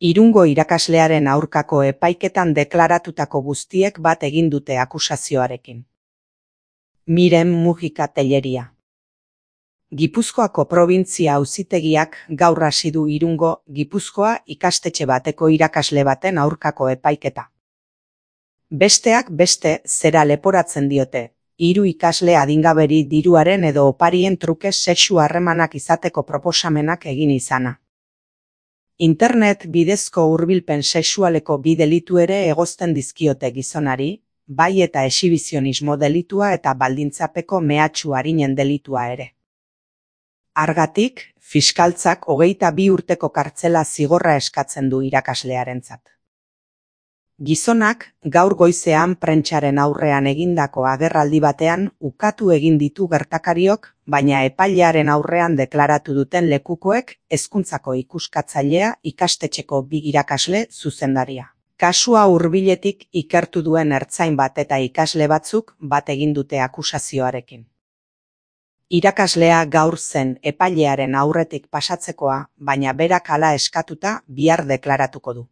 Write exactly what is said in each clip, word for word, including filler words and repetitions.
Irungo irakaslearen aurkako epaiketan deklaratutako guztiek bat egin dute akusazioarekin. Miren Mujika Telleria. Gipuzkoako probintzia auzitegiak gaur hasi du Irungo, Gipuzkoa ikastetxe bateko irakasle baten aurkako epaiketa. Besteak beste zera leporatzen diote, hiru ikasle adingaberi diruaren edo oparien truke sexu harremanak izateko proposamenak egin izana. Internet bidezko hurbilpen sexualeko bi delitu ere egozten dizkiote gizonari, bai eta exhibizionismo delitua eta baldintzapeko mehatxu arinen delitua ere. Hargatik, fiskaltzak hogeita bi urteko kartzela zigorra eskatzen du irakaslearentzat. Gizonak, gaur goizean prentsaren aurrean egindako agerraldi batean ukatu egin ditu gertakariok, baina epailearen aurrean deklaratu duten lekukoek hezkuntzako ikuskatzailea ikastetxeko bi irakasle zuzendaria. Kasua hurbiletik ikertu duen ertzain bat eta ikasle batzuk bat egin dute akusazioarekin. Irakaslea gaur zen epailearen aurretik pasatzekoa, baina berak hala eskatuta bihar deklaratuko du.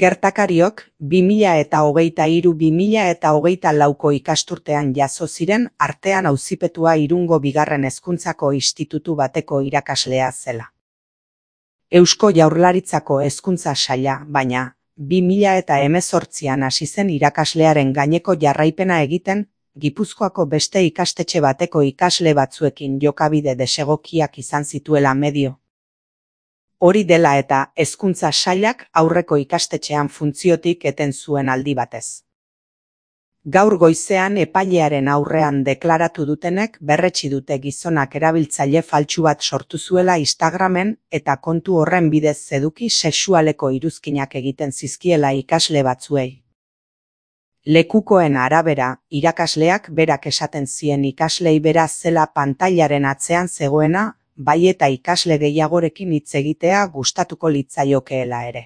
Gertakariok bi mila eta hogeita hiru bi mila eta hogeita lauko ikasturtean jazo ziren artean auzipetua Irungo bigarren hezkuntzako institutu bateko irakaslea zela. Eusko Jaurlaritzako hezkuntza saila, baina, bi mila eta hemezortzian hasi zen irakaslearen gaineko jarraipena egiten, Gipuzkoako beste ikastetxe bateko ikasle batzuekin jokabide desegokiak izan zituela medio. Hori dela eta hezkuntza sailak aurreko ikastetxean funtziotik eten zuen aldi batez. Gaur goizean epailearen aurrean deklaratu dutenek berretsi dute gizonak erabiltzaile faltsu bat sortu zuela Instagramen eta kontu horren bidez eduki sexualeko iruzkinak egiten zizkiela ikasle batzuei. Lekukoen arabera, irakasleak berak esaten zien ikaslei bera zela pantailaren atzean zegoena, bai eta ikasle gehiagorekin hitz egitea gustatuko litzaiokeela ere.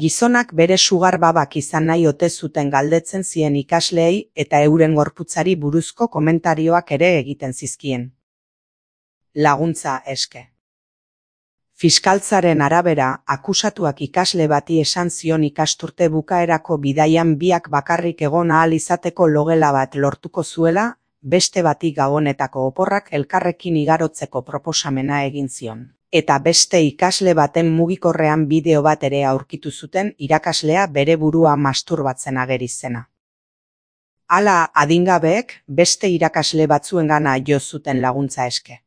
Gizonak bere sugar babak izan nahi ote zuten galdetzen zien ikasleei eta euren gorputzari buruzko komentarioak ere egiten zizkien. Laguntza eske. Fiskaltzaren arabera, akusatuak ikasle bati esan zion ikasturte bukaerako bidaian biak bakarrik egon ahal izateko logela bat lortuko zuela, beste bati gabonetako oporrak elkarrekin igarotzeko proposamena egin zion. Eta beste ikasle baten mugikorrean bideo bat ere aurkitu zuten irakaslea bere burua masturbatzen ageri zena. Hala adingabeek beste irakasle batzuengana jo zuten laguntza eske.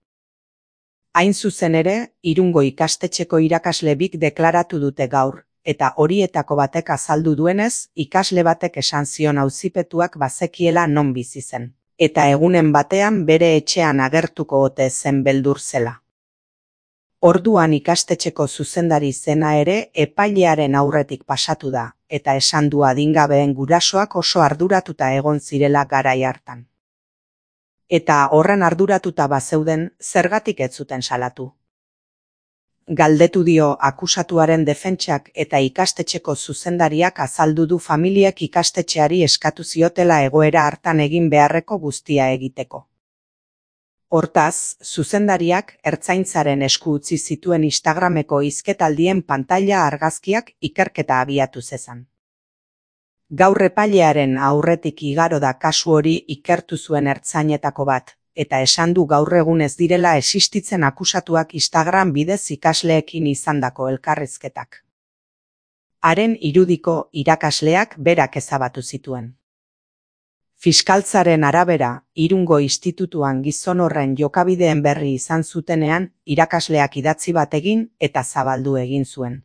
Hain zuzen ere, Irungo ikastetxeko irakasle bik deklaratu dute gaur, eta horietako batek azaldu duenez, ikasle batek esan zion auzipetuak bazekiela non bizi zen. Eta egunen batean bere etxean agertuko ote zen beldur zela. Orduan ikastetxeko zuzendari zena ere epailearen aurretik pasatu da, eta esan du adingabeen gurasoak oso arduratuta egon zirela garai hartan. Eta horren arduratuta bazeuden, zergatik ez zuten salatu. Galdetu dio akusatuaren defentsak eta ikastetxeko zuzendariak azaldu du familiek ikastetxeari eskatu ziotela egoera hartan egin beharreko guztia egiteko. Hortaz, zuzendariak ertzaintzaren esku utzi zituen Instagrameko hizketaldien pantaila argazkiak ikerketa abiatu zezan. Gaur epailearen aurretik igaro da kasu hori ikertu zuen ertzainetako bat, eta esan du gaur egun ez direla existitzen akusatuak Instagram bidez ikasleekin izandako elkarrizketak. Haren irudiko irakasleak berak ezabatu zituen. Fiskaltzaren arabera, Irungo institutuan gizon horren jokabideen berri izan zutenean, irakasleak idatzi bat egin eta zabaldu egin zuen.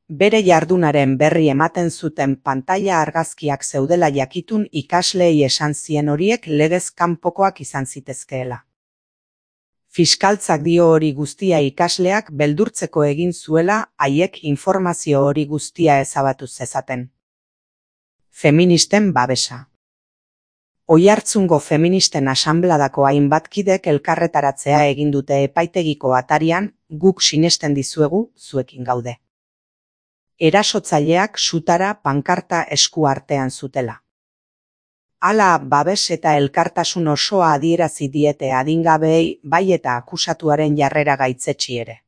Bere jardunaren berri ematen zuten pantaila argazkiak zeudela jakitun ikasleei esan zien horiek legez kanpokoak izan zitezkeela. Fiskaltzak dio hori guztia ikasleak beldurtzeko egin zuela haiek informazio hori guztia ezabatu zezaten. Feministen babesa. Oiartzungo feministen asanbladako hainbat kidek elkarretaratzea egin dute epaitegiko atarian, guk sinesten dizuegu, zuekin gaude. Erasotzaileak sutara pankarta esku artean zutela. Hala babes eta elkartasun osoa adierazi diete adingabeei bai eta akusatuaren jarrera gaitzetsi ere.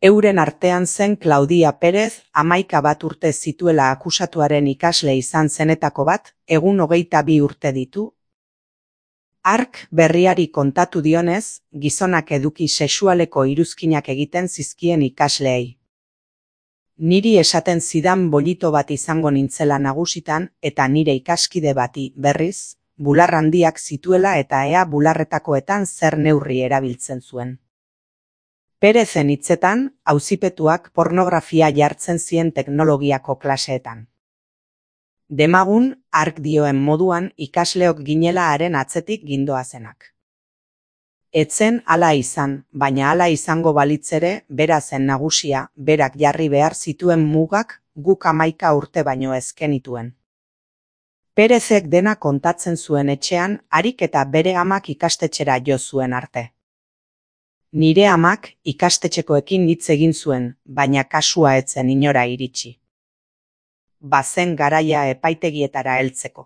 Euren artean zen Claudia Perez, hamaika bat urte zituela akusatuaren ikasle izan zenetako bat, egun hogeita bi urte ditu. Hark berriari kontatu dionez, gizonak eduki sexualeko iruzkinak egiten zizkien ikasleei. Niri esaten zidan bolito bat izango nintzela nagusitan eta nire ikaskide bati, berriz, bular handiak zituela eta ea bularretakoetan zer neurri erabiltzen zuen. Perezen hitzetan, auzipetuak pornografia jartzen zien teknologiako klaseetan. Demagun, hark dioen moduan ikasleok ginela haren atzetik gindoazenak. Etzen hala izan, baina hala izango balitzere, bera zen nagusia, berak jarri behar zituen mugak, guk hamaika urte baino ezkenituen. Perezek dena kontatzen zuen etxean, harik eta bere amak ikastetxera jo zuen arte. Nire amak ikastetxekoekin hitz egin zuen, baina kasua etzen inora iritsi. Bazen garaia epaitegietara heltzeko.